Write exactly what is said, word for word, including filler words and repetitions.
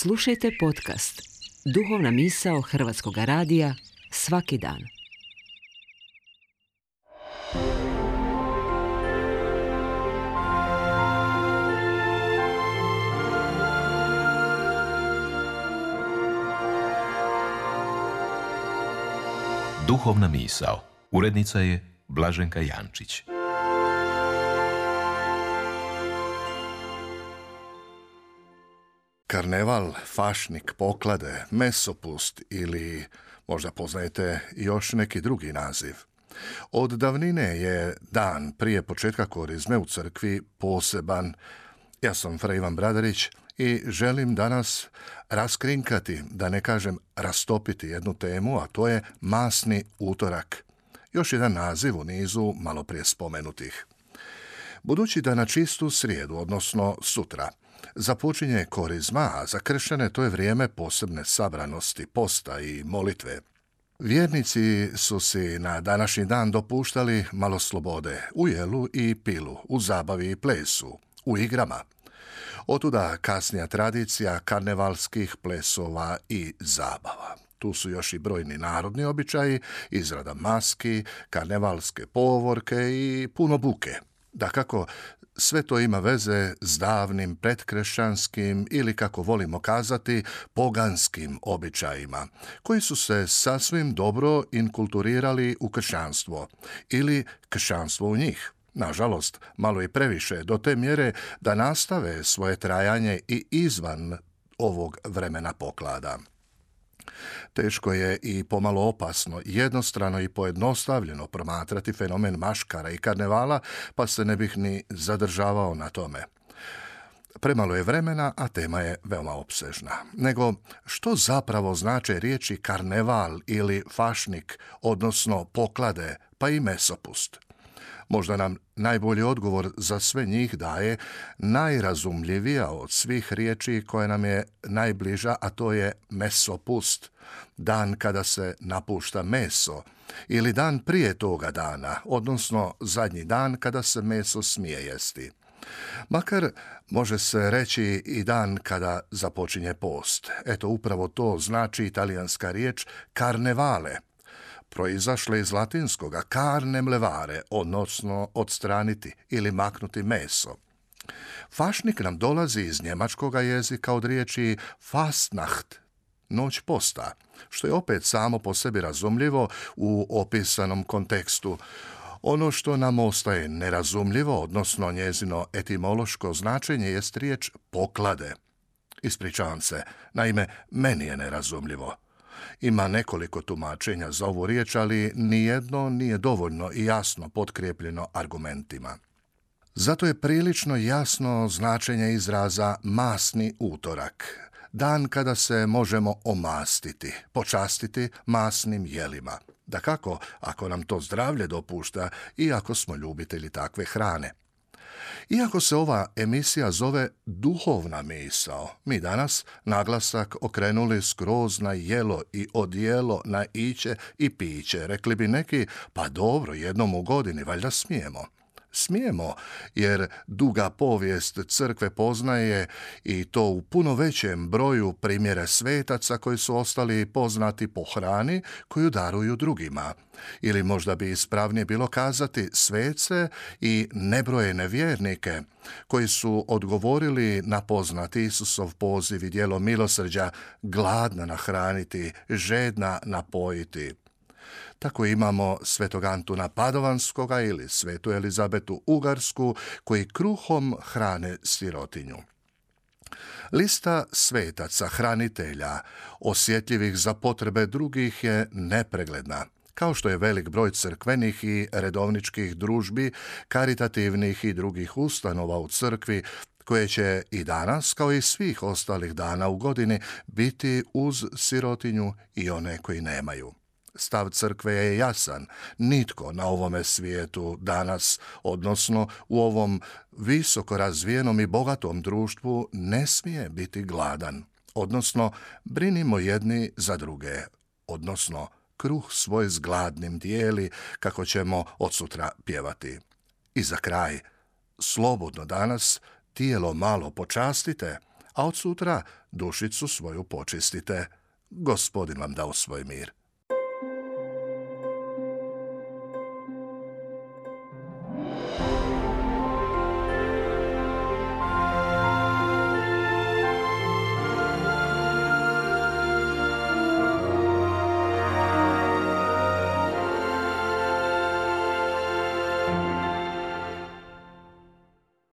Slušajte podcast Duhovna misao Hrvatskog radija svaki dan. Duhovna misao. Urednica je Blaženka Jančić. Karneval, fašnik, poklade, mesopust ili možda poznajete još neki drugi naziv. Od davnine je dan prije početka korizme u crkvi poseban. Ja sam Fra Ivan Bradarić i želim danas raskrinkati, da ne kažem rastopiti jednu temu, a to je masni utorak. Još jedan naziv u nizu malo prije spomenutih. Budući da na čistu srijedu, odnosno sutra, započinje korizma, a za kršćane to je vrijeme posebne sabranosti, posta i molitve. Vjernici su si na današnji dan dopuštali malo slobode u jelu i pilu, u zabavi i plesu, u igrama. Otuda kasnija tradicija karnevalskih plesova i zabava. Tu su još i brojni narodni običaji, izrada maski, karnevalske povorke i puno buke. Dakako, sve to ima veze s davnim predkršćanskim ili, kako volimo kazati, poganskim običajima, koji su se sasvim dobro inkulturirali u kršćanstvo ili kršćanstvo u njih. Nažalost, malo i previše, do te mjere da nastave svoje trajanje i izvan ovog vremena poklada. Teško je i pomalo opasno, jednostrano i pojednostavljeno promatrati fenomen maškara i karnevala, pa se ne bih ni zadržavao na tome. Premalo je vremena, a tema je veoma opsežna. Nego, što zapravo znače riječi karneval ili fašnik, odnosno poklade, pa i mesopust? Možda nam najbolji odgovor za sve njih daje najrazumljivija od svih riječi koja nam je najbliža, a to je mesopust, dan kada se napušta meso, ili dan prije toga dana, odnosno zadnji dan kada se meso smije jesti. Makar može se reći i dan kada započinje post. Eto, upravo to znači italijanska riječ karnevale, proizašle iz latinskoga carnem levare, odnosno odstraniti ili maknuti meso. Fašnik nam dolazi iz njemačkoga jezika od riječi Fastnacht, noć posta, što je opet samo po sebi razumljivo u opisanom kontekstu. Ono što nam ostaje nerazumljivo, odnosno njezino etimološko značenje, jest riječ poklade. Ispričavam se, naime, meni je nerazumljivo. Ima nekoliko tumačenja za ovu riječ, ali nijedno nije dovoljno i jasno potkrijepljeno argumentima. Zato je prilično jasno značenje izraza masni utorak, dan kada se možemo omastiti, počastiti masnim jelima. Dakako, ako nam to zdravlje dopušta i ako smo ljubitelji takve hrane. Iako se ova emisija zove Duhovna misao, mi danas naglasak okrenuli skroz na jelo i odjelo, na iće i piće. Rekli bi neki, pa dobro, jednom u godini, valjda smijemo. Smijemo, jer duga povijest crkve poznaje i to u puno većem broju primjere svetaca koji su ostali poznati po hrani koju daruju drugima. Ili možda bi ispravnije bilo kazati svece i nebrojene vjernike koji su odgovorili na poznati Isusov poziv i djelo milosrđa, gladna nahraniti, žedna napojiti. Tako imamo svetog Antuna Padovanskoga ili svetu Elizabetu Ugarsku, koji kruhom hrane sirotinju. Lista svetaca, hranitelja, osjetljivih za potrebe drugih je nepregledna, kao što je velik broj crkvenih i redovničkih družbi, karitativnih i drugih ustanova u crkvi, koje će i danas, kao i svih ostalih dana u godini, biti uz sirotinju i one koji nemaju. Stav crkve je jasan. Nitko na ovome svijetu danas, odnosno u ovom visoko razvijenom i bogatom društvu, ne smije biti gladan. Odnosno, brinimo jedni za druge. Odnosno, kruh svoj s gladnim dijeli, kako ćemo odsutra pjevati. I za kraj, slobodno danas tijelo malo počastite, a od sutra dušicu svoju počistite. Gospodin vam dao svoj mir.